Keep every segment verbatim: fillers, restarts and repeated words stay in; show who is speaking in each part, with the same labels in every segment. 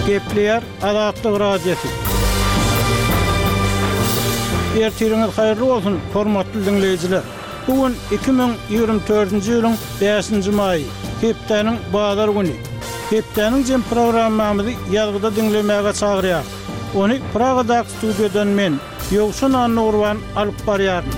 Speaker 1: Gepleýär Azatlyk Radiosy. Ertiriňiz haýyrly bolsun, hormatly diňleýjiler. Bu gün iki müň ýigrimi dördünji ýylyň bäşinji maýy, hepdäniň bazar güni. Hepdäniň jem programmamyzy ýazgyda diňlemäge çagyrýarys. Ony Pragadaky studiýadan men, Ýowşan Annagurban alyp barýaryn.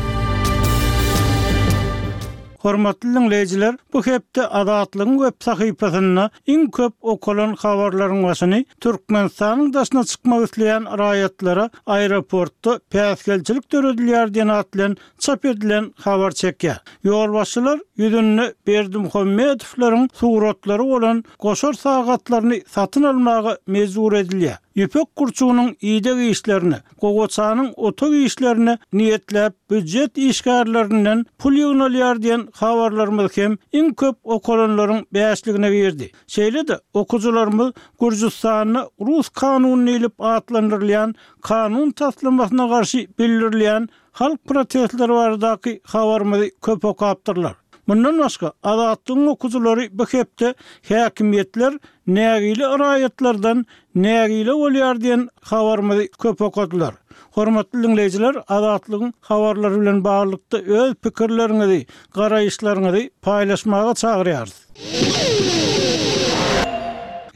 Speaker 1: Hormatly diňleýjiler, bu hepde Azatlygyň web sahypasynda iň köp okalan habarlaryň başyny Türkmenistanyň daşyna çykmak isleýän raýatlara aeroportda päsgelçilik döredilýär diýen at bilen çap edilen habar çekýär. Ýolbaşçylar ýüzünde Berdimuhamedowlaryň suratlary bolan goşar sagatlaryny satyn almaga mejbur edilýär. Ýüpek gurçugynyň ideg işlerine, gowaçanyň otag işlerine niýetläp býujet işgärlerinden pul ýygnalýar diýen habarlarymyz hem iň köp okalanlaryň bäşligine girdi. Şeýle-de okyjylarymyz Gürjüstanda Rus kanuny diýlip atlandyrylýan kanun taslamasyna garşy bildirilýän halk protestleri baradaky habarymyzy köp okapdyrlar. Mundan başga Azatlygyň okyjylary bu hepde häkimiýetler nägile raýatlardan nägile bolýar diýen habarymyzy köp okadylar. Hormatly diňleýjiler, Azatlygyň habarlary bilen baglylykda öz pikirleriňizi, garaýyşlaryňyzy paýlaşmaga çagyrýarys.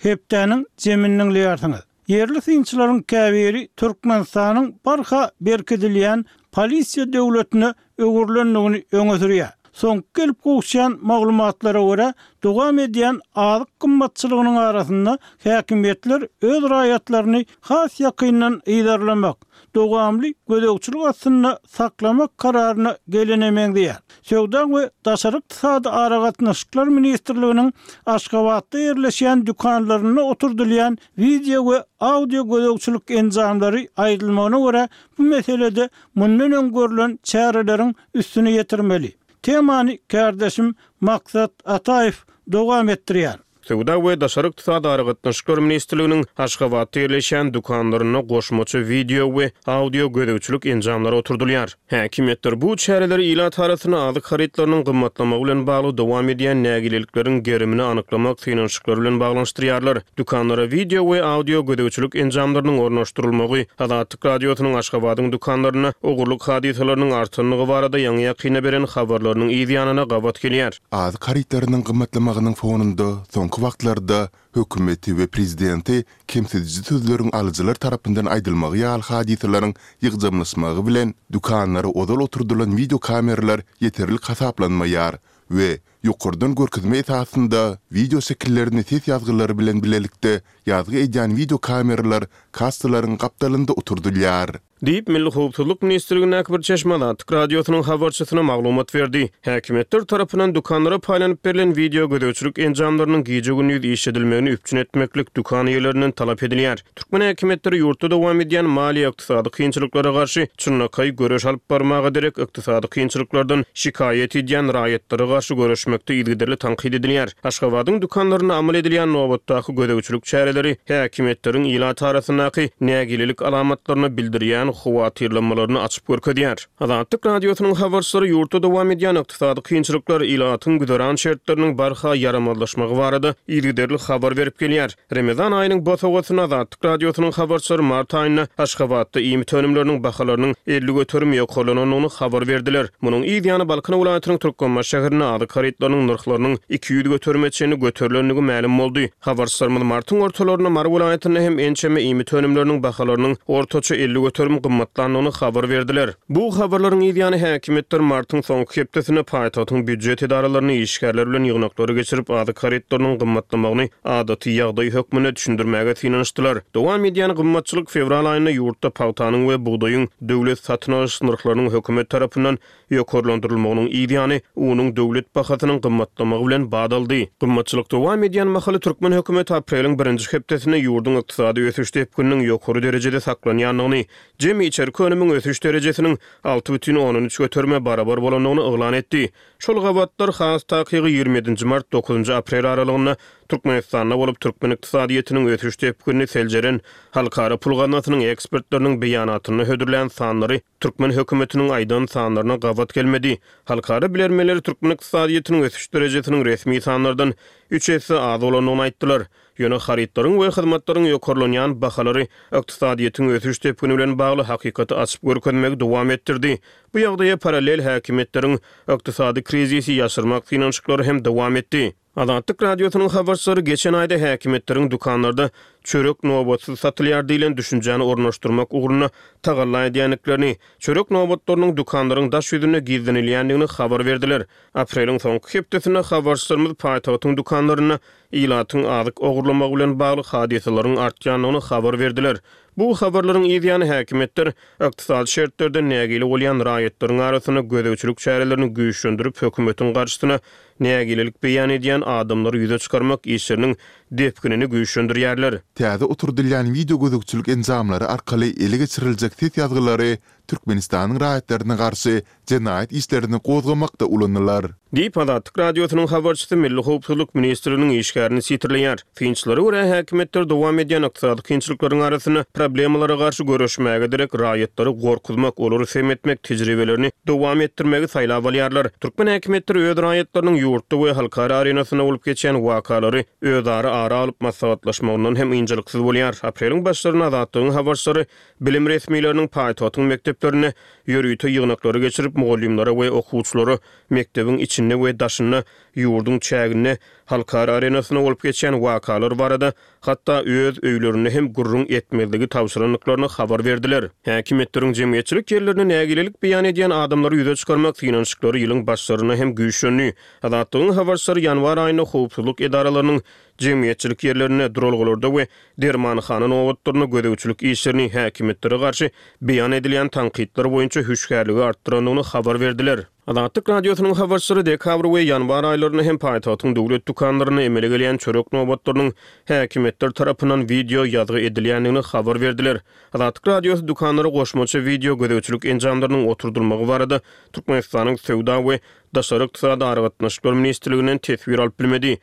Speaker 1: Hepdäniň jemini diňleýärsiňiz. Ýerli synçylaryň käbiri Türkmenistanyň barha berkidilýän polisiýa döwletine öwrülendigini öňe sürýär. Soňky gelip gowuşýan maglumatlara görä, dowam edýän azyk gymmatçylygynyň arasynda häkimiýetler öz raýatlaryny has ýakyndan yzarlamak, dowamly gözegçilik astynda saklamak kararyna gelene meňzeýär. Söwda we Daşary ykdysady aragatnaşyklar ministrliginiň Aşgabatda ýerleşýän dükanlarynda oturdylýan wideo we audio gözegçilik enjamlary aýdylmagyna görä, bu meselede mundan öň görlen çäreleriň üstüni ýetirmeli. Temany kardeşim Maksat Ataýew dowam etdirýär.
Speaker 2: Söwda we Daşary ykdysady aragatnaşyklar ministrliginiň Aşgabatda ýerleşýän dükanlarynda goşmaça wideo we audio gözegçilik enjamlary oturdylýar. Häkimiýetler bu çäreleri ilat arasynda azyk harytlarynyň gymmatlamagy bilen bagly dowam edýän nägilelikleriň gerimini anyklamak synanyşyklary bilen baglanyşdyrýarlar. Dükanlara wideo we audio gözegçilik enjamlarynyň ornaşdyrylmagy Azatlyk Radiosynyň Aşgabadyň dükanlarynda ogurlyk hadysalarynyň artanlygy barada ýaňy ýakynda beren habarlarynyň yz ýanyna gabat gelýär.
Speaker 3: Azyk harytlarynyň gymmatlamagynyň fonunda soňky wagtlarda hökümeti we prezidenti kemsidiji sözleriň alyjylar tarapyndan aýdylmagy ýaly hadysalaryň ýygjamlaşmagy bilen dükanlara ozal oturdylan wideo kameralar ýeterlik hasaplanmaýar we ýokardan görkezme esasynda wideo şekillerini ses ýazgylary bilen bilelikde ýazgy edýän wideo kameralar kassalaryň gapdalynda oturdylýar.
Speaker 2: Diýip, Milli Howpsuzlyk ministrligindäki bir çeşme Azatlyk Radiosynyň habarçysyna maglumat berdi. Häkimiýetler tarapyndan dükanlara paýlanyp berlen wideo gözegçilik enjamlarynyň gije-gündiz işledilmegini üpjün etmeklik dükan eýelerinden talap edilýär. Türkmen häkimiýetleri ýurtda dowam edýän maliýe ykdysady kynçylyklara garşy çynlakaý göreş alyp barmaga derek ykdysady kynçylyklardan şikaýat edýän raýatlara garşy göreşmekde yzygiderli tankyt edilýär. Aşgabadyň dükanlarynda amal edilýän nobatdaky gözegçilik çäreleri häkimiýetleriň ilat arasyndaky nägilelik alamatlaryny bildirýän howatyrlanmalaryny açyp görkezýär. Azatlyk Radiosynyň habarçylary ýurtda dowam edýän ykdysady kynçylyklar, ilatyň güzeran şertleriniň barha ýaramazlaşmagy barada yzygiderli habar berip gelýär. Ramazan aýynyň bosagasynda Azatlyk Radiosynyň habarçylary mart aýynda Aşgabatda iýmit önümleriniň bahalarynyň elli göterim ýokarlanandygyny habar berdiler. Munuň yz ýany Balkan welaýatynyň Türkmenbaşy şäherinde azyk harytlarynyň nyrhlarynyň iki ýüz göterime çenli göterilendigi mälim boldy. Habarçylarymyz martyň ortalarynda Mary welaýatynda hem ençeme iýmit önümleriniň bahalarynyň ortaça elli göterim gymmatlandygyny habar berdiler. Bu habarlaryň yz ýany häkimiýetler martyň soňky hepdesinde paýtagtyň býujet edaralaryny işgärler bilen ýygnaklary geçirip azyk harytlarynyň gymmatlamagyny adaty ýagdaý hökmünde düşündirmäge synanyşdylar. Dowam edýän gymmatçylyk fewral aýynda ýurtda pagtanyň we bugdaýyň döwlet satyn alyş nyrhlarynyň hökümet tarapyndan ýokarlandyrylmagynyň yz ýany unuň döwlet bahasynyň gymmatlamagy bilen badaldy. Gymmatçylyk dowam edýän mahaly türkmen hökümeti apreliň birinji hepdesinde ýurduň ykdysady ösüş depgininiň ýokary derejede saklanýandygyny, jemi içerki önümiň ösüş derejesiniň alty bütin ondan üç göterime barabar bolandygyny yglan etdi. Şol gabatlar, has takygy ýigrimi ýedinji mart, dokuzynjy aprel aralygynda Türkmenistanda bolup, türkmen ykdysadyýetiniň ösüş depginini seljeren Halkara pul gaznasynyň ekspertleriniň beýanatynda hödürlän sanlary türkmen hökümetiniň aýdan sanlaryna gabat gelmedi. Halkara bilermenleri türkmen ykdysadyýetiniň ösüş derejesiniň resmi sanlardan üç esse az bolandygyny aýtdylar. Ýöne harytlaryň we hyzmatlaryň ýokarlanýan bahalary ykdysadyýetiň ösüş depgini bilen bagly hakykaty açyp görkezmegi dowam etdirdi. Bu ýagdaýa parallel häkimiýetleriň ykdysady krizisi ýaşyrmak synanyşyklary hem dowam etdi. Azatlyk Radiosynyň habarçylary geçen aýda häkimiýetleriň dükanlarda çörek nobatsyz satylýar diýlen düşünjäni ornaşdyrmak ugrunda tagalla edýändiklerini, çörek nobatlarynyň dükanlaryň daş ýüzünde gizlenilýändigini habar berdiler. Apreliň soňky hepdesinde habarçylarymyz paýtagtyň dükanlarynda ilatyň azyk ogurlamagy bilen bagly hadysalaryň artýandygyny habar berdiler. Bu habarlaryň yz ýany häkimiýetler ykdysady şertlerden nägile bolýan raýatlaryň arasynda gözegçilik çärelerini güýçlendirip, hökümetiň garşysyna nägilelik beýan edýän adamlary ýüze çykarmak işleriniň depginini güýçlendirýärler.
Speaker 3: Täze oturdylýan wideogözegçilik enjamlary arkaly ele geçiriljek ses ýazgylary Türkmenistanyň raýatlaryna garşy jenaýat işlerini gozgamakda ulanylar.
Speaker 2: Diýip, Azatlyk Radiosynyň habarçysy Milli howpsuzlyk ministrliginiň işgärini sitirleýär. Synçylara görä, häkimiýetler dowam edýän ykdysady kynçylyklaryň arasynda problemalara garşy göreşmäge derek raýatlary gorkuzmak, olary sem etmek tejribelerini dowam etdirmegi saýlap alýarlar. Türkmen häkimiýetleri öz raýatlarynyň ýurtda we halkara arenasynda bolup geçýän wakalary özara ara alyp maslahatlaşmagyndan hem ynjalyksyz bolýar. Apreliň başlarynda Azatlygyň habarçylary bilim resmileriniň paýtagtyň mekdeplerinde ýörite ýygnaklary geçirip, mugallymlara we okuwçylara mekdebiň içinde we daşynda, ýurduň çäginde, halkara arenasynda bolup geçýän wakalar barada hatda öz öýlerinde hem gürrüň etmezligi tabşyrandyklaryny habar berdiler. Häkimiýetleriň jemgyýetçilik ýerlerinde nägilelik beýan edýän adamlary ýüze çykarmak synanyşyklary ýylyň başlarynda hem güýçlendi. Azatlygyň habarçylary ýanwar aýynda howpsuzlyk edaralarynyň jemgyýetçilik ýerlerinde, duralgalarda we dermanhana nobatlarynda gözegçilik işlerini häkimiýetlere garşy beýan edilýän tankytlar boýunça hüşgärligi artdyrandygyny habar berdiler. Azatlyk Radiosynyň habarçylary dekabr we ýanwar aýlarynda hem paýtagtyň döwlet dükanlarynda emele gelýän çörek nobatlarynyň häkimiýetler tarapyndan wideo ýazgy edilýändigini habar berdiler. Azatlyk Radiosy dükanlara goşmaça wideo gözegçilik enjamlarynyň oturdylmagy barada Türkmenistanyň Söwda we daşary ykdysady aragatnaşyklar ministrliginden teswir alyp bilmedi.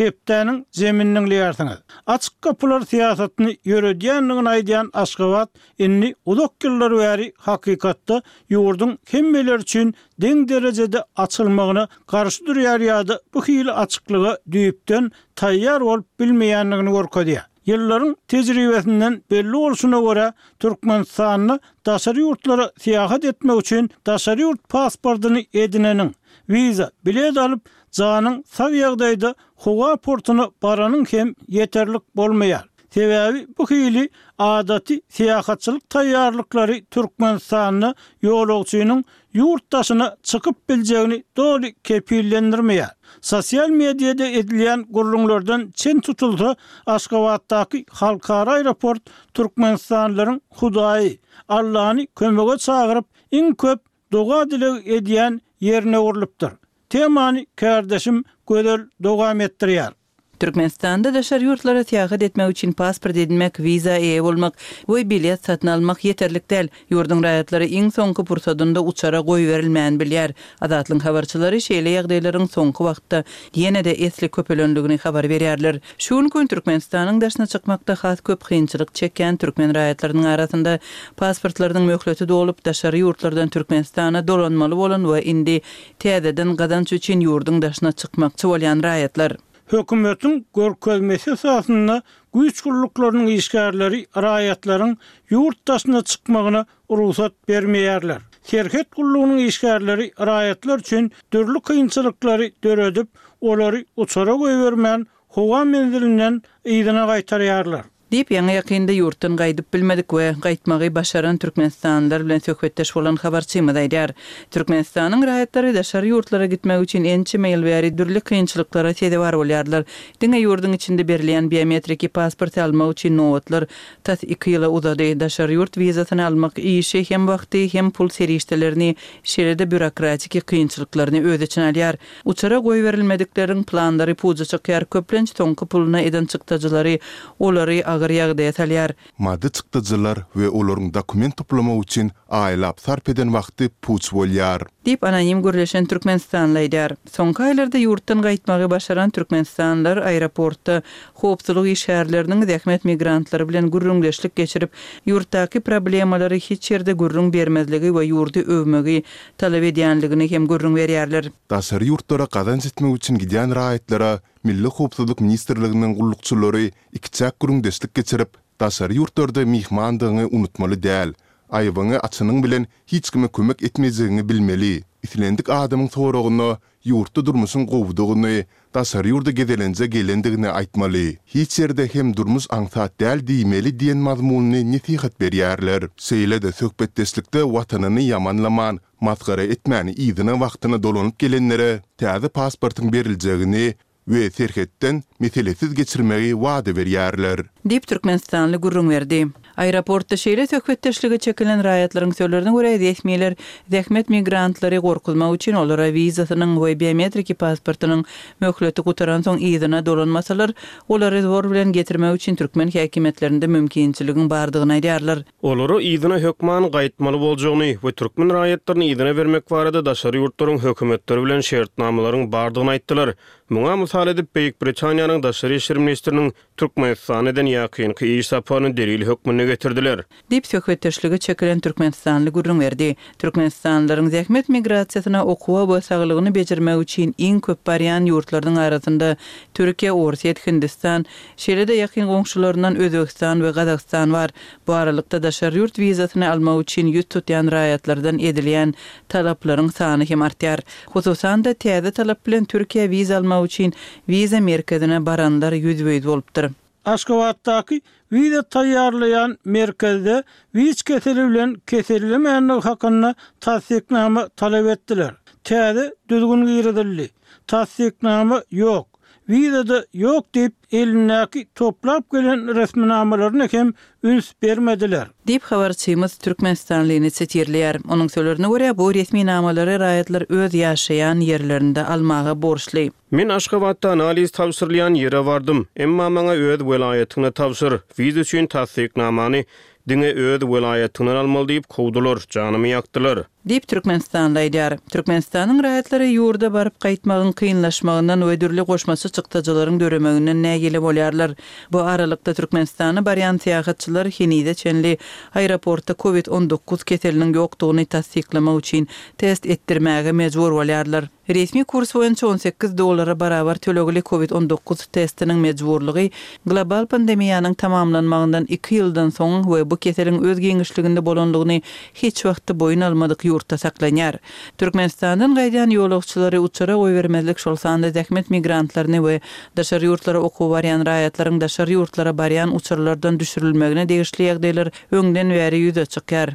Speaker 1: Hepdäniň zemini diňleýärsiňiz. Açyk gapylar syýasatyny ýöredýändigini aýdýan Aşgabat indi uzak ýyllar bäri hakykatda ýurduň hemmeler üçin deň derejede açylmagyna garşy durýar ýa-da bu hili açyklyga düýpden taýýar bolup bilmeýändigini görkezýär. Ýyllaryň tejribesinden belli bolşuna görä, Türkmenistanda daşary ýurtlara syýahat etmek üçin daşary ýurt pasportyny edineniň, wiza, bilet alyp, janyň sag ýagdaýda howa portuna baranyň hem ýeterlik bolmaýar. Sebäbi bu hili adaty syýahatçylyk taýýarlyklary Türkmenistanda ýolagçynyň ýurt daşyna çykyp biljegini doly kepillendirmeýär. Sosial mediada edilýän gürrüňlerden çen tutulsa, Aşgabatdaky halkara aeroport türkmenistanlylaryň Hudaýy, Allany kömege çagyryp, iň köp doga-dileg edýän ýerine öwrülipdir. Temany kärdeşim Gözel dowam etdirýär.
Speaker 4: Türkmenistanda daşary ýurtlara syýahat etmek üçin pasport edinmek, wiza eýe bolmak we bilet satyn almak ýeterlik däl. Ýurduň raýatlary iň soňky pursadynda uçara goýberilmän bilýär. Azatlygyň habarçylary şeýle ýagdaýlaryň soňky wagtda ýene-de esli köpelendigini habar berýärler. Şu günki gün Türkmenistanyň daşyna çykmakda has köp kynçylyk çekýän türkmen raýatlarynyň arasynda pasportlarynyň möhleti dolup, daşary ýurtlardan Türkmenistana dolanmaly bolan we indi täzeden gazanç üçin ýurduň daşyna çykmakçy bolýan raýatlar.
Speaker 1: Hökümetiň görkezmesi esasynda güýç gulluklarynyň işgärleri raýatlaryň ýurt daşyna çykmagyna rugsat bermeýärler. Serhet gullugynyň işgärleri raýatlar üçin dürli kynçylyklary döredip, olary uçara goýbermän, howa menzilinden yzyna gaýtarýarlar.
Speaker 4: Diýip, ýaňy-ýakynda ýurtdan gaýdyp bilmedik we gaýtmagy başaran türkmenistanlylar bilen söhbetdeş bolan habarçymyz aýdýar. Türkmenistanyň raýatlary daşary ýurtlara gitmek üçin ençeme ýyl bäri dürli kynçylyklara sezewar bolýarlar. Diňe ýurduň içinde berilýän biometriki pasporty almak üçin nobatlar tas iki ýyla uzady. Daşary ýurt wizasyny almak işi hem wagty, hem pul serişdelerini, şeýle-de býurokratiki kynçylyklaryny öz içine alýar. Uçara goýberilmedikleriň planlary puja çykýar, köplenç soňky puluna eden çykdajylary olary agyr agyr ýagdaýa salýar.
Speaker 3: Maddy çykdajylar we olaryň dokument toplamak üçin aýlap sarp eden wagty puç bolýar.
Speaker 4: Diýip, anonim gürleşen türkmenistanly aýdýar. Soňky aýlarda ýurtdan gaýtmagy başaran türkmenistanlylar aeroportda howpsuzlyk işgärleriniň zähmet migrantlary bilen gürrüňdeşlik geçirip, ýurtdaky problemalary hiç ýerde gürrüň bermezligi we ýurdy öwmegi talap edýänligini hem gürrüň berýärler.
Speaker 3: Daşary ýurtlara gazanç etmek üçin gidýän raýatlara Milli howpsuzlyk ministrliginiň gullukçylary ikiçäk gürrüňdeşlik geçirip, daşary ýurtlarda myhmandygyňy unutmaly däl, aýbyňy açanyň bilen hiç kime kömek etmejegiňi bilmeli, islendik adamyň soragyna ýurtda durmuşyň gowudygyny, daşary ýurda gezelenje gelendigini aýtmaly, hiç ýerde hem durmuş aňsat däl diýmeli diýen mazmunly nesihat berýärler. Şeýle-de söhbetdeşlikde watanyny ýamanlaman, masgara etmän yzyna wagtyna dolanyp gelenlere täze pasportyň beriljegini we serhetden meselesiz geçirmegi wada berýärler.
Speaker 4: Diýip, türkmenistanly gürrüň berdi. Aeroportda şeýle söhbetdeşlige çekilen raýatlaryň sözlerine görä, resmiler zähmet migrantlary gorkuzmak üçin olara wizasynyň we biometriki pasportynyň möhleti gutaransoň yzyna dolanmasalar, olary zor bilen getirmek üçin türkmen häkimiýetlerinde mümkinçiligiň bardygyny aýdýarlar.
Speaker 2: Olara yzyna hökman gaýtmaly boljagyny we türkmen raýatlaryny yzyna bermek barada daşary ýurtlaryň hökümetleri bilen şertnamalaryň bardygyny aýtdylar. Muňa mysal edip, Beýik Britaniýanyň daşary işler ministriniň Türkmenistana eden ýakynky iş saparyny delil hökmünde getirdiler.
Speaker 4: Diýip, söhbetdeşlige çekilen türkmenistanly gürrüň berdi. Türkmenistanlylaryň zähmet migrasiýasyna okuwa we saglygyny bejermek üçin iň köp barýan ýurtlarynyň arasynda Türkiýe, Orsýet, Hindistan, şeýle-de ýakyn goňşularyndan Özbegistan we Gazagystan bar. Bu aralykda, daşary ýurt wizasyny almak üçin ýüz tutýan raýatlardan edilýän talaplaryň sany hem artýar. Hususan-da, täze talap bilen Türkiýä wiza almak üçin wiza merkezine baranlar ýüzbe-ýüz bolupdyr.
Speaker 1: Aşgabatdaky wiza taýýarlaýan merkezde WIÇ keseli bilen kesellemändigi hakynda tassyknama talap etdiler. Täze düzgün girizildi. Tassyknama ýok, wiza-da ýok diýip, elindäki toplap gelen resminamalaryna hem üns bermediler.
Speaker 4: Diýip, habarçymyz türkmenistanlyny sitirleýär. Onuň sözlerine görä, bu resminamalary raýatlar öz ýaşaýan ýerlerinde almaga borçly.
Speaker 2: Men Aşgabatda analiz tabşyrylýan ýere bardym. Emma maňa öz welaýatyňda tabşyr, wiza üçin tassyknamany diňe öz welaýatyňdan almaly diýip kowdular, janymy ýakdylar.
Speaker 4: Diýip, türkmenistanly aýdýar. Türkmenistanyň raýatlary ýurda baryp gaýtmagyň kynlaşmagyndan we dürli goşmaça çykdajylaryň döremeginden nägile bolýarlar. Bu aralykda, Türkmenistana barýan syýahatçylar henize çenli aeroportda covid on dokuz keseliniň ýokdugyny tassyklamak üçin test etdirmäge mejbur bolýarlar. Resmi kurs boýunça on sekiz dollara barabar tölegli covid on dokuz testiniň mejburlygy global pandemiýanyň tamamlanmagyndan iki ýyldan soň we bu keseliň öz giňişliginde bolanlygyny hiç wagtda boýun almadyk ýurtda saklanýar. Türkmenistandan gaýdýan ýolagçylary uçara goýbermezlik, şol sanda zähmet migrantlaryny we daşary ýurtlara okuwa barýan raýatlaryň daşary ýurtlara barýan uçarlardan düşürilmegine degişli ýagdaýlar öňden bäri ýüze çykýar.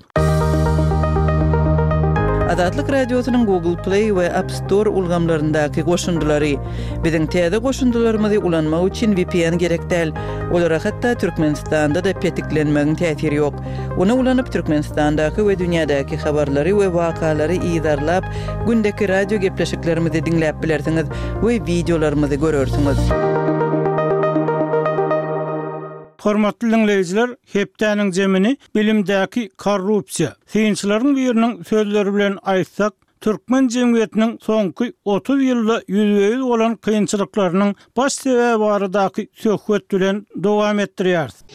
Speaker 4: Azatlyk Radiosynyň Google Play we App Store ulgamlaryndaky goşundylary. Biziň täze goşundylarymyzy ulanmak üçin V P N gerek däl. Olara hatda Türkmenistanda-da petiklenmegiň täsiri ýok. Ony ulanyp Türkmenistandaky we dünýädäki habarlary we wakalary yzarlap, gündeki radio gepleşiklerimizi diňläp bilersiňiz we wideolarymyzy görersiňiz.
Speaker 1: Hormatly dinleýjiler, hepdäniň zemini bilimdäki korrupsiýa. Synçylaryň biriniň sözleri bilen aýtsak, türkmen jemgyýetiniň soňky otuz ýylda ýüzbe-ýüz bolan kynçylyklarynyň baş sebäbi baradaky söhbet bilen dowam etdirýäris.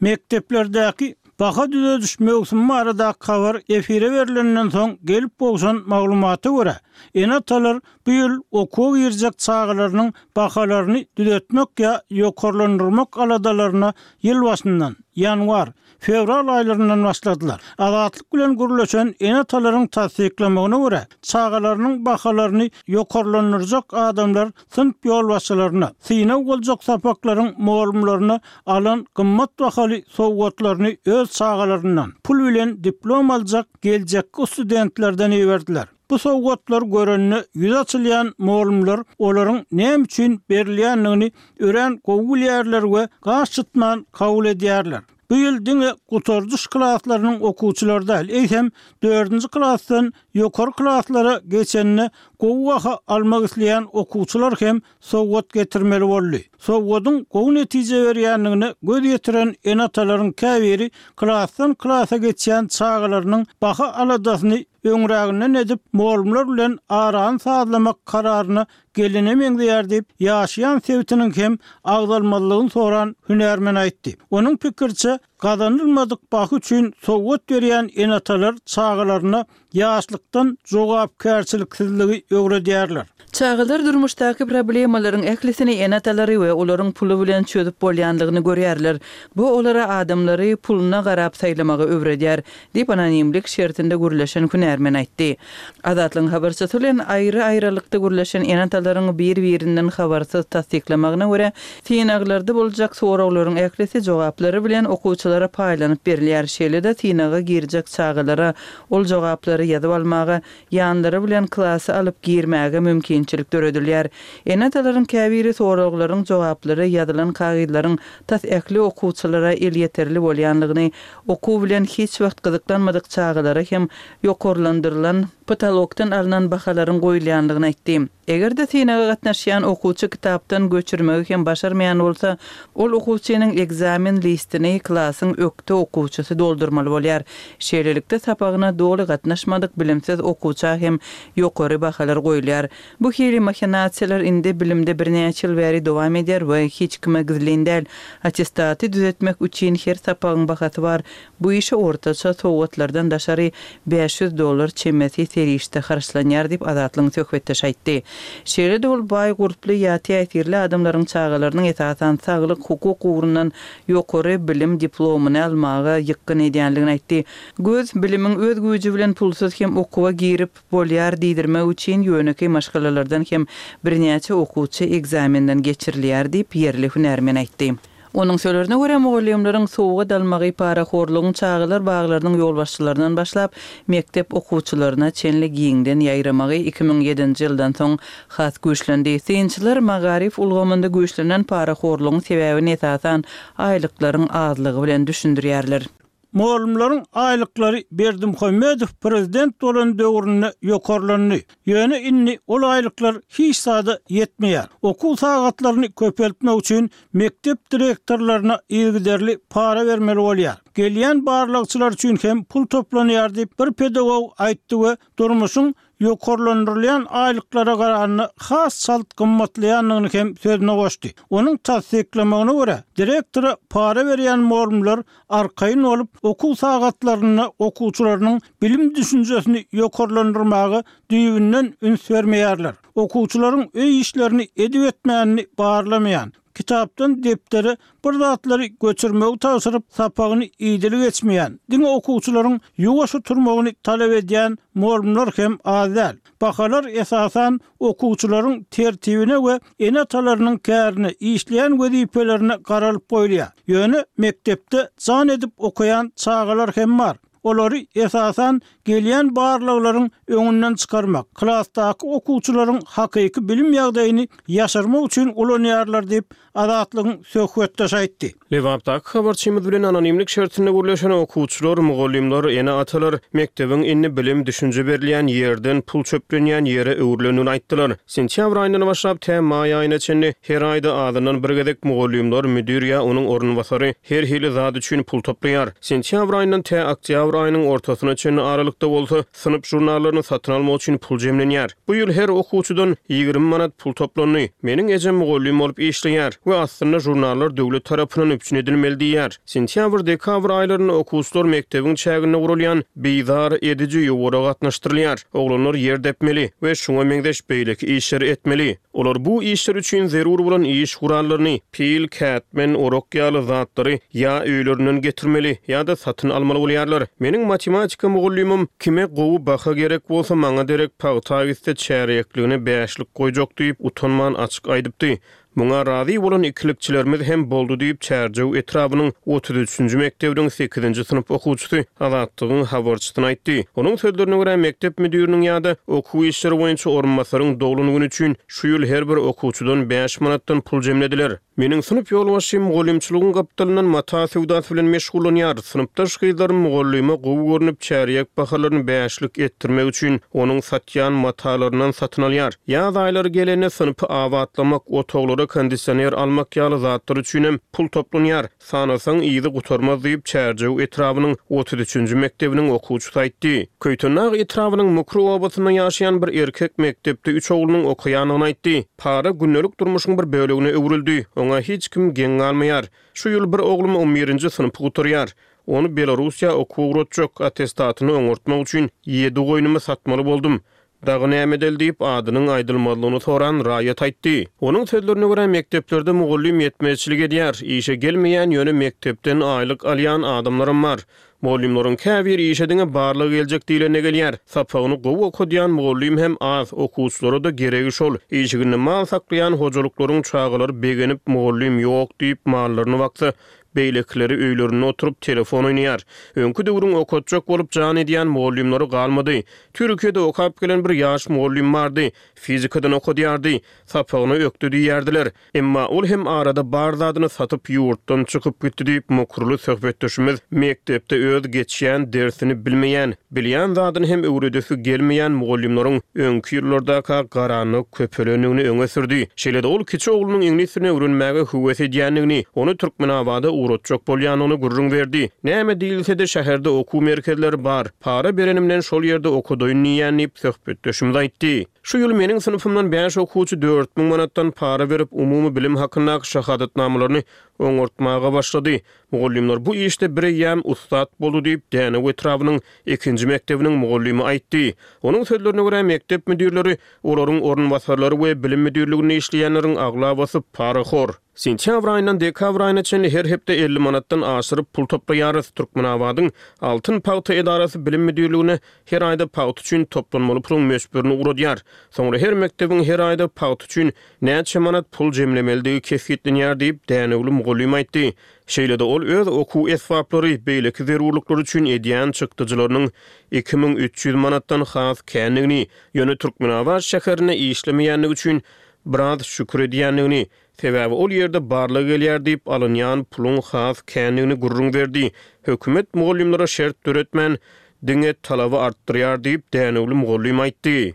Speaker 1: Mekdeplerdäki baha düzediş möwsümi baradaky habar efire berilenden soň gelip gowşan maglumata görä, ene-atalar bu ýyl okuwa girjek çagalarynyň bahalaryny düzetmek ýa ýokarlandyrmak aladalaryna ýyl başyndan, ýanwar, fewral aýlaryndan başladylar. Azatlyk bilen gürleşen ene-atalaryň tassyklamagyna görä, çagalarynyň bahalaryny ýokarlandyrjak adamlar synp ýolbaşçylaryna, synag boljak sapaklaryň mugallymlaryna alan gymmat bahaly sowgatlaryny öz çagalaryndan pul bilen diplom aljak geljekki studentlerden iberdiler. Bu sowgatlar görende ýüz açylýan mugallymlar olaryň näme üçin berilýändigini örän gowy bilýärler we gaş çytman kabul edýärler. Bu ýyl diňe gutardyş klaslarynyň okuwçylary däl, eýsem dördünji klasdan ýokary klaslara geçende gowy baha almak isleýän okuwçylar hem sowgat getirmeli boldy. Sowgadyň gowy netije berýändigine göz ýetiren ene-atalaryň käbiri klasdan klasa geçýän çagalarynyň baha aladasyny öňräginden edip, mugallymlar bilen arany sazlamak kararyna gelene meňzeýär diýip, ýaşaýan sebitiniň hem agzalmazlygyny soran hünärmen aýtdy. Onuň pikiriçe, gazanylmadyk baha üçin sowgat berýän ene-atalar çagalaryna ýaşlykdan jogapkärçiliksizligi öwredýärler.
Speaker 4: Çagalar durmuşdaky problemalaryň ählisini ene-atalary we olaryň puly bilen çözüp bolýandygyny görýärler. Bu olara adamlary puluna garap saýlamagy öwredýär, diýip, anonimlik şertinde gürleşen hünärmen aýtdy. Azatlygyň habarçysy bilen aýry-aýrylykda gürleşen ene-atalaryň bir-birinden habarsyz tassyklamagyna görä, synaglarda boljak soraglaryň ählisi jogaplary bilen okuwçylara paýlanyp berilýär, şeýle-de synaga girjek çagalara ol jogaplary ýazyp almaga, ýanlary bilen klasa alyp girmäge mümkinçilik döredilýär. Ene-atalaryň käbiri soraglaryň jogaplary ýazylan kagyzlaryň tas ähli okuwçylara elýeterli bolýanlygyny, okuw bilen hiç wagt gyzyklanmadyk çagalara hem ýokarlandyrylan potolokdan alnan bahalaryň goýulýanlygyny aýtdy. Eger-de synaga gatnaşýan okuwçy kitapdan göçürmegi hem başarmaýan bolsa, ol okuwçynyň ekzamen listini klasyň ökde okuwçysy doldurmaly bolýar. Şeýlelikde, sapagyna doly gatnaşmadyk bilimsiz okuwça hem ýokary bahalar goýulýar. Bu hili mahinasiýalar indi bilimde birnäçe ýyl bäri dowam edýär we hiç kime gizlin däl. Attestaty düzetmek üçin her sapagyň bahasy bar. Bu işe ortaça sowgatlardan daşary bäş ýüz dollar çemesi serişde harçlanýar diýip, Azatlygyň söhbetdeşi aýtdy. Şeýle-de ol baý gurply ýa täsirli adamlaryň çagalarynyň esasan saglyk, hukuk ugrundan ýokary bilim diplomyny almaga ýykgyn edýändigini aýtdy. Göz bilimiň öz güýji bilen pulsuz hem okuwa girip bolýar diýdirmek üçin ýönekeý maşgalalardan hem birnäçe okuwçy ekzamenden geçirilýär diýip, ýerli hünärmen aýtdy. Onuň sözlerine görä, mugallymlaryň sowgat almagy parahorlugyň çagalar baglarynyň ýolbaşçylaryndan başlap, mekdep okuwçylaryna çenli giňden ýaýramagy iki müň ýedinji ýyldan soň has güýçlendi. Synçylar magaryf ulgamynda güýçlenen parahorlugyň sebäbini esasan aýlyklaryň azlygy bilen düşündirýärler.
Speaker 1: Mugallymlaryň aýlyklary Berdimuhamedow prezident bolan döwründe ýokarlandy. Ýöne indi ol aýlyklar hiç zada ýetmeýär. Okuw sagatlaryny köpeltmek üçin mekdep direktorlaryna yzygiderli para bermeli bolýar. Gelýän barlagçylar üçin hem pul toplanýar diýip, bir pedagog aýtdy we durmuşyň ýokarlandyrylýan aýlyklara garanda has çalt gymmatlaýandygyny hem sözüne goşdy. Onuň tassyklamagyna görä, direktora para berýän mugallymlar arkaýyn bolup, okuw sagatlarynda okuwçylarynyň bilim düşünjesini ýokarlandyrmaga düýbünden üns bermeýärler. Okuwçylaryň öý işlerini edip etmänini barlamaýan, kitapdan depdere bir zatlary göçürmegi tabşyryp, sapagyny idili geçmeýän, diňe okuwçylaryň ýuwaş oturmagyny talap edýän mugallymlar hem az däl. Bahalar esasan okuwçylaryň tertibine we ene-atalarynyň kärine, işleýän wezipelerine garalyp goýulýar. Ýöne mekdepde jan edip okaýan çagalar hem bar. Olary esasan gelýän barlaglaryň öňünden çykarmak, klasdaky okuwçylaryň hakyky bilim ýagdaýyny ýaşyrmak üçin ulanýarlar diýip, Azatlygyň söhbetdeşi aýtdy.
Speaker 2: Lebapdaky habarçymyz bilen anonimlik şertinde gürleşen okuwçylar, mugallymlar, ene-atalar mekdebiň indi bilim-düşünje berilýän ýerden pul çöplenýän ýere öwrülendigini aýtdylar. Sentýabr aýyndan başlap tä maý aýyna çenli her aýda azyndan bir gezek mugallymlar, müdir ýa onuň orunbasary her hili zat üçin pul toplaýar. Sentýabr aýyndan tä oktýabr aýynyň ortasyna çenli aralykda bolsa synp žurnallaryny satyn almak üçin pul jemlenýär. Bu ýyl her okuwçydan ýigrimi manat pul toplandy. Meniň ejem mugallym bolup işleýär we aslynda žurnallar döwlet tarapyndan üpjün edilmeli diýýär. Sentýabr-dekabr aýlarynda okuwçylar mekdebiň çäginde guralýan bizar ediji ýowara gatnaşdyrylýar. Oglanlar ýer depmeli we şuňa meňzeş beýleki işleri etmeli. Olar bu işler üçin zerur bolan iş gurallaryny, pil, kätmen, orak ýaly zatlary ýa öýlerinden getirmeli, ýa-da satyn almaly bolýarlar. Meniň matematika mugallymym kime gowy baha gerek bolsa maňa derek pagta gitse çärýekligine bäşlik goýjak diýip utanman açyk aýdypdy. Muňa razy bolan ikilikçilerimiz hem boldy diýip, Çärjew etrabynyň otuz üçünji mekdebiniň sekizinji synp okuwçysy Azatlygyň habarçysyna aýtdy. Onuň sözlerine görä, mekdep müdiriniň ýa-da okuw işleri boýunça orunbasaryň doglan güni üçin şu ýyl her bir okuwçydan bäş manatdan pul jemlediler. Meniň synp ýolbaşçym mugallymçylygyň gapdalyndan mata söwdasy bilen meşgullanýar. Synpdaş gyzlarym mugallyma gowy görnüp, çärýek bahalaryny bäşlik etdirmek üçin onuň satýan matalaryndan satyn alýar. Ýaz aýlary gelende synpy abatlamak, otaglara kondisioner almak ýaly zatlar üçinem pul toplanýar. Sanasaň yzy gutarmaz diýip, Çärjew etrabynyň otuz üçünji mekdebiniň okuwçysy aýtdy. Köýtendag etrabynyň Mukry obasynda ýaşaýan bir erkek mekdepde üç oglunyň okaýandygyny aýtdy. Para gündelik durmuşyň bir bölegine öwrüldi. Oňa hiç kim geň galmaýar. Şu ýyl bir oglum on birinji synpy gutarýar. Ony Belarussiýa okuwa ugratjak, attestatyny oňartmak üçin ýedi goýnumy satmaly boldum. Dagy näme edeli diýip, adynyň aýdylmazlygyny soran raýat aýtdy. Onuň sözlerine görä, mekdeplerde mugallym ýetmezçilik edýär. Işe gelmeýän, ýöne mekdepden aýlyk alýan adamlaram bar. Mugallymlaryň käbiri işe diňe barlag geljek diýlende gelýär. Sapagyny gowy okadýan mugallym hem az, okuwçylara-da geregi şol. Işiginde mal saklaýan hojalyklaryň çagalary begenip, mugallym ýok diýip, mallaryny baksa, beýlekileri öýlerinde oturyp telefon oýnaýar. Öňki döwrüň okatjak bolup jan edýän mugallymlary galmady. Türkiýede okap gelen bir ýaş mugallym bardy. Fizikadan okadýardy. Sapagyna ökde diýýärdiler. Emma ol hem arada bar zadyny satyp ýurtdan çykyp gitdi diýip, mukryly söhbetdeşimiz mekdepde öz geçýän dersini bilmeýän, bilýän zadyny hem öwredesi gelmeýän mugallymlaryň öňki ýyllardaka garanda köpelendigini öňe sürdi. Şeýle-de ol kiçi oglunyň iňlis dilini öwrenmäge höwes edýändigini, ony Türkmenabada ugratjak bolýandygyny gürrüň berdi. Näme diýilse-de şäherde okuw merkezleri bar, para berenimden şol ýerde okadaýyn diýýän diýip, söhbetdeşimiz aýtdy. Şu ýyl meniň synpymdan bäş okuwçy dört müň manatdan para berip, umumy bilim hakyndaky şahadatnamalaryny oňartmaga başlady. Mugallymlar bu işde bireýýäm ussat boldy diýip, Dänew etrabynyň ikinji mekdebiniň mugallymy aýtdy. Onuň sözlerine görä, mekdep müdirleri, olaryň orunbasarlary we bilim müdirliginde işleýänleriň aglabasy parahor. Sentýabr aýyndan dekabr aýyna çenli her hepde elli manatdan aşyryp pul toplaýarys. Türkmenabadyň Altyn pagta edarasy bilim müdirligine her aýda pagta üçin toplanmaly puluň möçberini ugradýar. Soňra her mekdebiň her aýda pagta üçin näçe manat pul jemlemelidigi kesgitlenýär diýip, Dänewli mugallym aýtdy. Şeýle-de ol öz okuw esbaplary, beýleki zerurlyklary üçin edýän çykdajylarynyň iki müň üç ýüz manatdan has kändigini, ýöne Türkmenabat şäherinde işlemeýändigi üçin biraz şükür edýändigini, sebäbi ol ýerde barlag gelýär diýip alynýan puluň has kändigini gürrüň berdi. Hökümet mugallymlara şert döretmän, diňe talaby artdyrýar diýip, Dänewli mugallym aýtdy.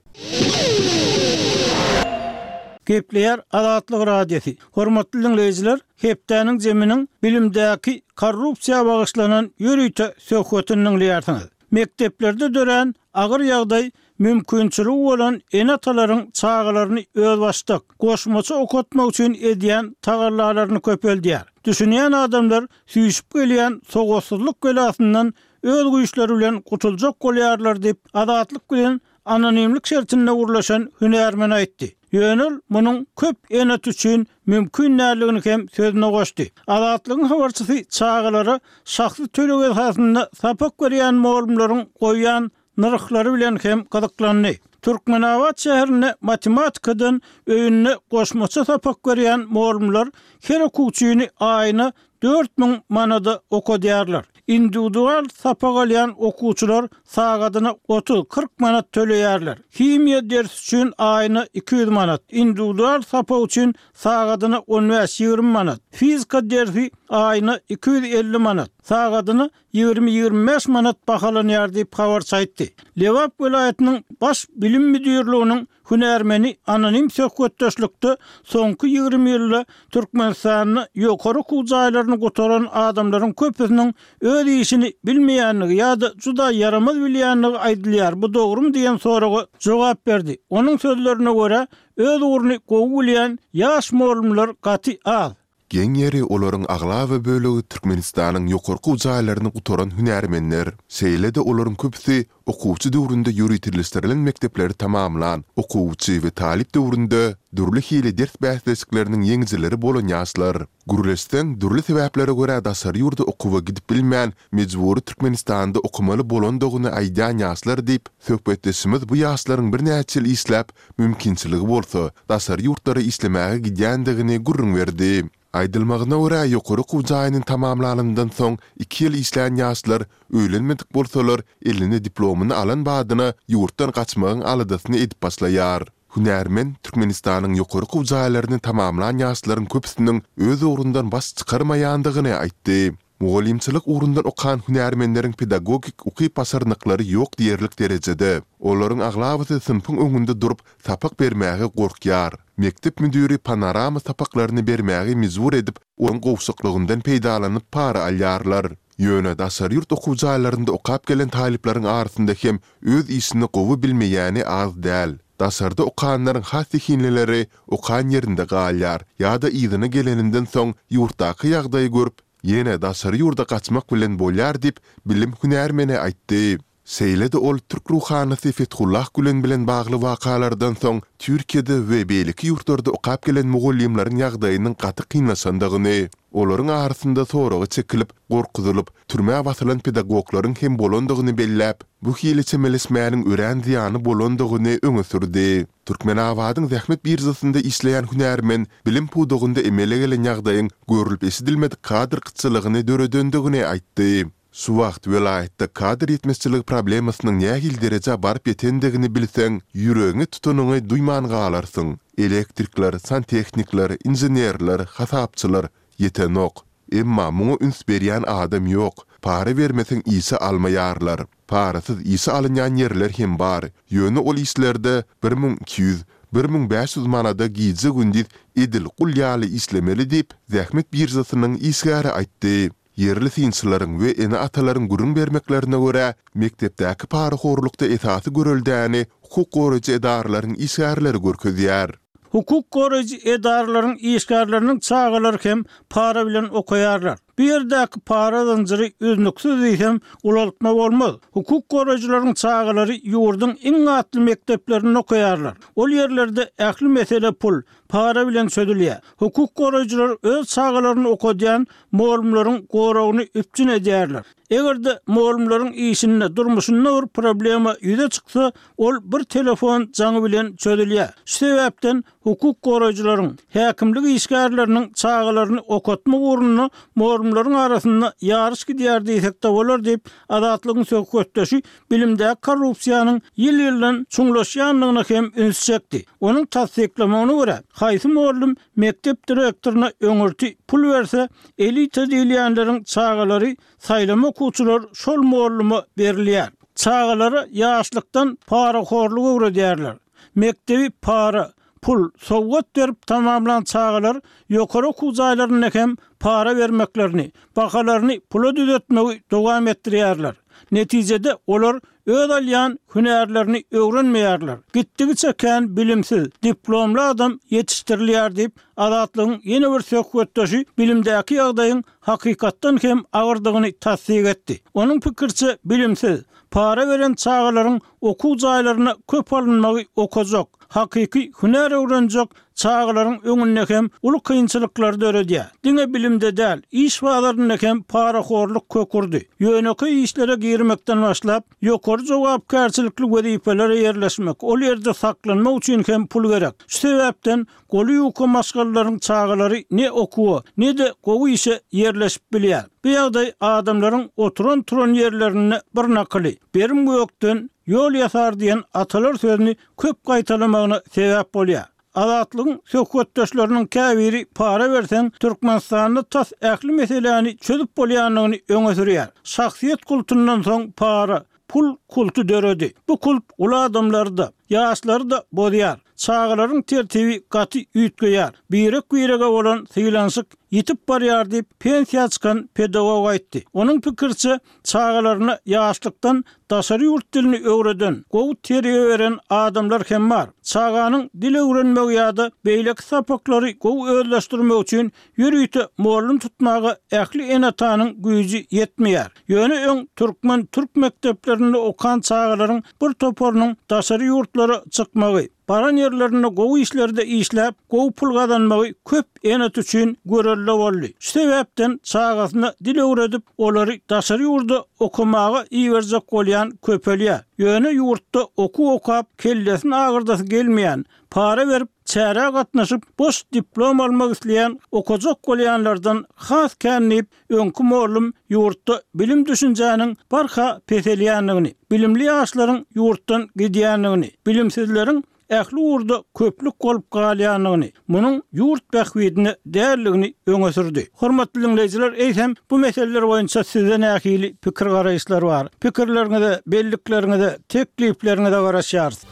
Speaker 1: Gepleýär Azatlyk Radiosy. Hormatly diňleýjiler, hepdäniň zeminiň bilimdäki korrupsiýa bagyşlanan ýörite söhbetini diňleýärsiňiz. Mekdeplerde dörän agyr ýagdaý mümkinçiligi bolan ene-atalaryň çagalaryny özbaşdak, goşmaça okatmak üçin edýän tagallalaryny köpeldýär. Düşünýän adamlar süýşüp gelýän sowatsuzlyk belasyndan öz güýçleri bilen gutuljak bolýarlar diýip, Azatlyk bilen anonimlik şertinde gürleşen hünärmen aýtdy. Ýöne ol munuň köp ene-ata üçin mümkin däldigini hem sözüne goşdy. Azatlygyň habarçysy çagalara şahsy töleg esasynda sapak berýän mugallymlaryň goýýan nyrhlary bilen hem gyzyklandy. Türkmenabat şäherinde matematikadan öýünde goşmaça sapak berýän mugallymlar her okuwçyny aýyna dört müň manada okadýarlar. Individual sapak alýan okuwçylar sagadyna otuz-kyrk manat töleýärler. Himiýa dersi üçin aýyna iki ýüz manat, individual sapak üçin sagadyna on bäş-ýigrimi manat, fizika dersi aýyna iki ýüz elli manat, sagadyna ýigrimi-ýigrimi bäş manat bahalanýar diýip habarçy aýtdy. Lebap welaýatynyň baş bilim müdirliginiň hünärmeni anonim söhbetdeşlikde soňky ýigrimi ýylda Türkmenistanda ýokary okuw jaýlaryny gutaran adamlaryň köpüsiniň öz işini bilmeýändigi ýa-da juda ýaramaz bilýändigi aýdylýar, bu dogrumy diýen soraga jogap berdi. Onuň sözlerine görä, öz ugruny gowy bilýän ýaş mugallymlar gaty az.
Speaker 3: Geň ýeri, olaryň aglaba bölegi Türkmenistanyň ýokary okuw jaýlaryny gutaran hünärmenler. Şeýle-de olaryň köpüsi okuwçy döwründe ýöriteleşdirilen mekdepleri tamamlan, okuwçy we talyp döwründe dürli hili ders bäsleşikleriniň ýeňijileri bolan ýaşlar. Gürleşseň, dürli sebäplere görä daşary ýurda okuwa gidip bilmän, mejbury Türkmenistanda okamaly bolandygyny aýdýan ýaşlar diýip, söhbetdeşimiz bu ýaşlaryň birnäçe ýyl işläp, mümkinçiligi bolsa, daşary ýurtlara işlemäge gidýändigini gürrüň berdi. Aýdylmagyna görä, ýokary okuw jaýyny tamamlanyndan soň iki ýyl işlän ýaşlar öýlenmedik bolsalar, eline diplomyny alan badyna ýurtdan gaçmagyň aladasyny edip başlaýar. Hünärmen Türkmenistanyň ýokary okuw jaýlaryny tamamlan ýaşlaryň köpüsiniň öz ugrundan baş çykarmaýandygyny aýtdy. Mugallymçylyk ugrundan okan hünärmenleriň pedagogik ukyp-başarnyklary ýok diýerlik derejede. Olaryň aglabasy synpyň öňünde durup, sapak bermäge gorkýar. Mekdep müdiri panorama sapaklaryny bermäge mejbur edip, onuň gowşaklygyndan peýdalanyp para alýarlar. Ýöne daşary ýurt okuw jaýlarynda okap gelen talyplaryň arasynda hem öz işini gowy bilmeýäni az däl. Daşarda okanlaryň has zehinlileri okan ýerinde galýar ýa-da yzyna geleninden soň ýurtdaky ýagdaýy görüp, ýene daşary ýurda gaçmak bilen bolýar diýip, bilim hünärmeni aýtdy. Şeýle-de ol türk ruhanysy Fethullah Gülen bilen bagly wakalardan soň Türkiýede we beýleki ýurtlarda okap gelen mugallymlaryň ýagdaýynyň gaty kynlaşandygyny, olaryň arasynda soraga çekilip, gorkuzylyp, türmä basylan pedagoglaryň hem bolandygyny belläp, bu hili çemeleşmäniň örän zyýanly bolandygyny öňe sürdi. Türkmenabadyň zähmet biržasynda işleýän hünärmen bilim pudagynda emele gelen ýagdaýyň görlüp-eşidilmedik kadr gytçylygyny döredendigini aýtdy. Şu wagt welaýatda kadr ýetmezçiligi problemasynyň nähili derejä baryp ýetendigini bilseň, ýüregiňi tutanyňy duýman galarsyň. Elektrikler, santehnikler, inženerler, hasapçylar ýetenok. Emma muňa üns berýän adam ýok. Para bermeseň işe almaýarlar. Parasyz işe alynýan ýerler hem bar. Ýöne ol işlerde bir müň iki ýüz, bir müň bäş ýüz manada gije-gündiz edil gul ýaly işlemeli diýip, zähmet biržasynyň işgäri aýtdy. Ýerli synçylaryň we ene-atalaryň gürrüň bermeklerine görä, mekdepdäki parahorlukda esasy göreldäni hukuk goraýjy edaralaryň işgärleri görkezýär.
Speaker 1: Hukuk goraýjy edaralaryň işgärleriniň çagalary hem para bilen okaýarlar. Bu ýerdäki para zynjyry üznüksiz diýsem, ulaltma bolmaz. Hukuk goraýjylaryň çagalary ýurduň iň atly mekdeplerinde okaýarlar. Ol ýerlerde ähli mesele pul, para bilen çözülýär. Hukuk goraýjylar öz çagalaryny okadýan mugallymlaryň goragyny üpjün edýärler. Eger-de mugallymlaryň işinde, durmuşynda bir problema ýüze çyksa, ol bir telefon jaňy bilen çözülýär. Şu sebäpden hukuk goraýjylaryň, häkimlik işgärleriniň çagalaryny okatmak ugrunda mugallymlaryň arasynda ýaryş gidýär diýsek-de bolar diýip, Azatlygyň söhbetdeşi bilimdäki korrupsiýanyň ýyl-ýyldan çuňlaşýandygyna hem üns çekdi. Onuň tassyklamagyna görä, haýsy mugallym mekdep direktoryna öňürti pul berse, elita diýilýänleriň çagalary saýlama okuwçylar şol mugallyma berilýär. Çagalara ýaşlykdan parahorlugy öwredýärler. Mekdebi para, pul, sowgat berip tamamlan çagalar ýokary okuw jaýlarynda hem para bermeklerini, bahalaryny pula düzetmegi dowam etdirýärler. Netijede, olar öz alýan hünärlerini öwrenmeýärler. Gitdigiçe kän bilimsiz, diplomly adam ýetişdirilýär diýip, Azatlygyň ýene bir söhbetdeşi bilimdäki ýagdaýyň hakykatdan hem agyrdygyny tassyk etdi. Onuň pikiriçe, bilimsiz, para beren çagalaryň okuw jaýlaryna köp alynmagy okajak, hakyky hünär öwrenjek çagalaryň öňünde hem uly kynçylyklary döredýär. Diňe bilimde däl, iş bazarynda hem parahorluk kök urdy. Ýönekeý işlere girmekden başlap, ýokary jogapkärçilikli wezipelere ýerleşmek, ol ýerde saklanmak üçin hem pul gerek. Şu sebäpden goly ýuka maşgalalaryň çagalary ne okuwa, ne-de gowy işe ýerleşip bilýär. Bu ýagdaý adamlaryň oturan-turan ýerlerinde bir nakyly, Berim gökden ýol ýasar diýen atalar sözüni köp gaýtalamagyna sebäp bolýar. Azatlygyň söhbetdeşleriniň käbiri para berseň, Türkmenistanda tas ähli meseläni çözüp bolýandygyny öňe sürýär. Şahsyýet kultundan soň para, pul kulty döredi. Bu kult uly adamlary-da, ýaşlary-da bozýar. çagalaryň tertibi gaty üýtgeýär. Birek-birege bolan sylanyşyk ýitip barýar diýip, pensiýa çykan pedagog aýtdy. Onuň pikiriçe, çagalaryna ýaşlykdan daşary ýurt dilini öwreden, gowy terbiýe beren adamlar hem bar. Çaganyň dil öwrenmegi ýa-da beýleki sapaklary gowy özleşdirmegi üçin ýörite mugallym tutmaga ähli ene-atanyň güýji ýetmeýär. Ýöne öň türkmen-türk mekdeplerinde okan çagalaryň bir toparynyň daşary ýurtlara çykmagy, baran ýerlerinde gowy işlerde işläp, gowy pul gazanmagy köp ene-ata üçin görelde boldy. Şu sebäpden çagasyna dil öwredip, olary daşary ýurda okamaga iberjek bolýan köpelýär. Ýöne ýurtda okuw okap, kellesini agyrdasy gelmeýän, para berip, çärä gatnaşyp, boş diplom almak isleýän okajak bolýanlardan has kän diýip, öňki mugallym ýurtda bilim düşünjäniň barha peselýändigini, bilimli ýaşlaryň ýurtdan gidýändigini, bilimsizleriň ähli ugurda köplük bolup galýandygyny, munuň ýurt bähbidine däldigini öňe sürdi. Hormatly diňleýjiler, eýsem bu meseleler boýunça sizde nähili pikir-garaýyşlar bar? Pikirleriňize, bellikleriňize, teklipleriňize garaşýarys.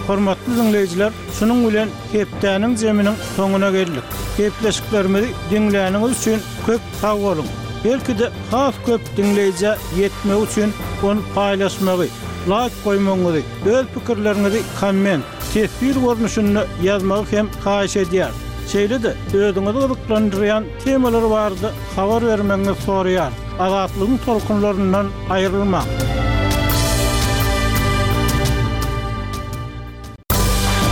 Speaker 1: Hormatly diňleýjiler, şunuň bilen hepdäniň zeminiň soňuna geldik. Gepleşiklerimizi diňläniňiz üçin köp sag boluň. Belki-de has köp diňleýjä ýetmegi üçin ony paýlaşmagy, laýk goýmagyňyzy, öz pikirleriňizi komment, teswir görnüşinde ýazmagy hem haýyş edýäris. Şeýle-de özüňizi gyzyklandyrýan temalar barada habar bermegiňizi soraýarys. Azatlygyň tolkunlaryndan aýrylmaň.